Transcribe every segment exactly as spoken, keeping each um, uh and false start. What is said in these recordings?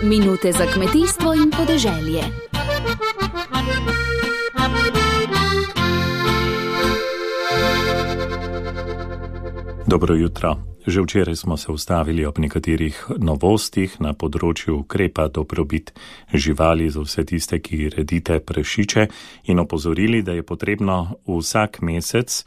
Minute za kmetijstvo in podeželje. Dobro jutro. Že včeraj smo se ustavili ob nekaterih novostih na področju ukrepa dobrobit živali za vse tiste, ki redite prašiče, in opozorili, da je potrebno vsak mesec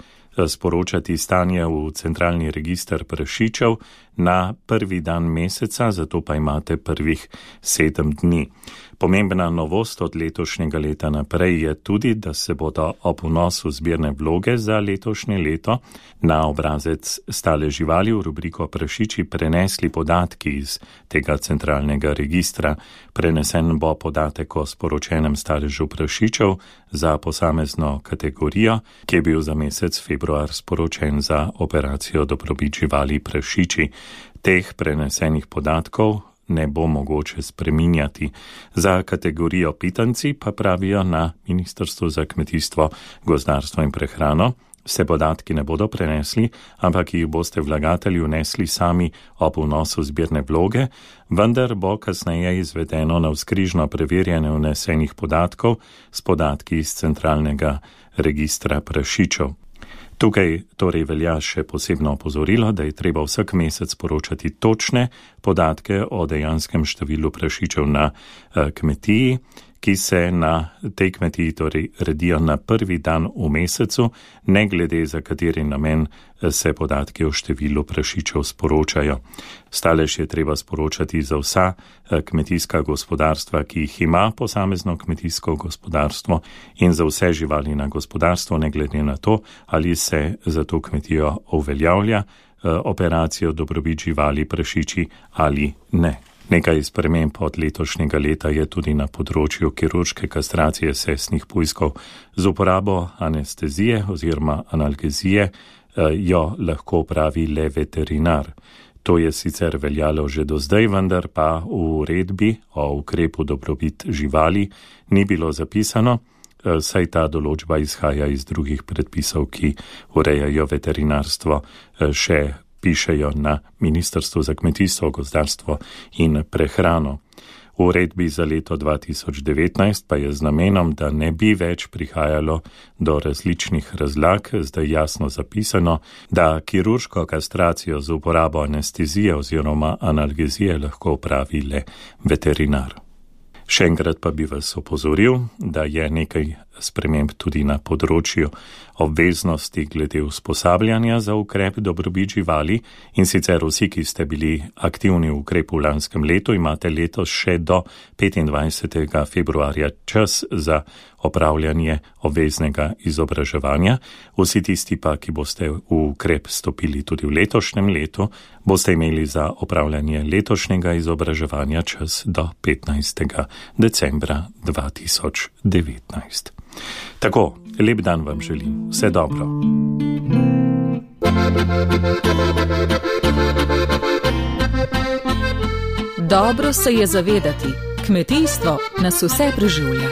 sporočati stanje v centralni register prašičev na prvi dan meseca, zato pa imate prvih sedem dni. Pomembna novost od letošnjega leta naprej je tudi, da se bodo ob vnosu zbirne vloge za letošnje leto na obrazec stale živali v rubriko prašiči prenesli podatki iz tega centralnega registra. Prenesen bo podatek o sporočenem staležu prašičev za posamezno kategorijo, ki je bil za mesec februar sporočen za operacijo dobrobit živali prašiči. Teh prenesenih podatkov ne bo mogoče spreminjati. Za kategorijo pitanci pa pravijo na Ministrstvu za kmetijstvo, gozdarstvo in prehrano, se podatki ne bodo prenesli, ampak jih boste vlagatelji vnesli sami ob vnosu zbirne vloge, vendar bo kasneje izvedeno navzkrižno preverjanje vnesenih podatkov s podatki iz centralnega registra prašičev. Tukaj torej velja še posebno opozorilo, da je treba vsak mesec poročati točne podatke o dejanskem številu prašičev na kmetiji, ki se na tej kmetiji torej redijo na prvi dan v mesecu, ne glede za kateri namen se podatki o številu prašičev sporočajo. Stalež je treba sporočati za vsa kmetijska gospodarstva, ki jih ima posamezno kmetijsko gospodarstvo, in za vse živali na gospodarstvo, ne glede na to, ali se za to kmetijo uveljavlja operacijo dobrobit živali prašiči ali ne. Nekaj sprememb od letošnjega leta je tudi na področju kirurške kastracije sesnih pujskov. Z uporabo anestezije oziroma analgezije jo lahko opravi le veterinar. To je sicer veljalo že do zdaj, vendar pa v uredbi o ukrepu dobrobit živali ni bilo zapisano, saj ta določba izhaja iz drugih predpisov, ki urejajo veterinarstvo, še pišejo na Ministrstvu za kmetijstvo, gozdarstvo in prehrano. V uredbi za leto dva tisoč devetnajst pa je z namenom, da ne bi več prihajalo do različnih razlag, zdaj jasno zapisano, da kirurško kastracijo z uporabo anestezije oziroma analgezije lahko opravi le veterinar. Še enkrat pa bi vas opozoril, da je nekaj sprememb tudi na področju obveznosti glede usposabljanja za ukrep dobrobit živali, in sicer vsi, ki ste bili aktivni v ukrepu v lanskem letu, imate letos še do petindvajsetega februarja čas za opravljanje obveznega izobraževanja. Vsi tisti pa, ki boste v ukrep stopili tudi v letošnjem letu, boste imeli za opravljanje letošnjega izobraževanja čas do petnajstega decembra dva tisoč devetnajst. Tako, lep dan vam želim. Vse dobro. Dobro se je zavedati, kmetijstvo nas vse preživlja.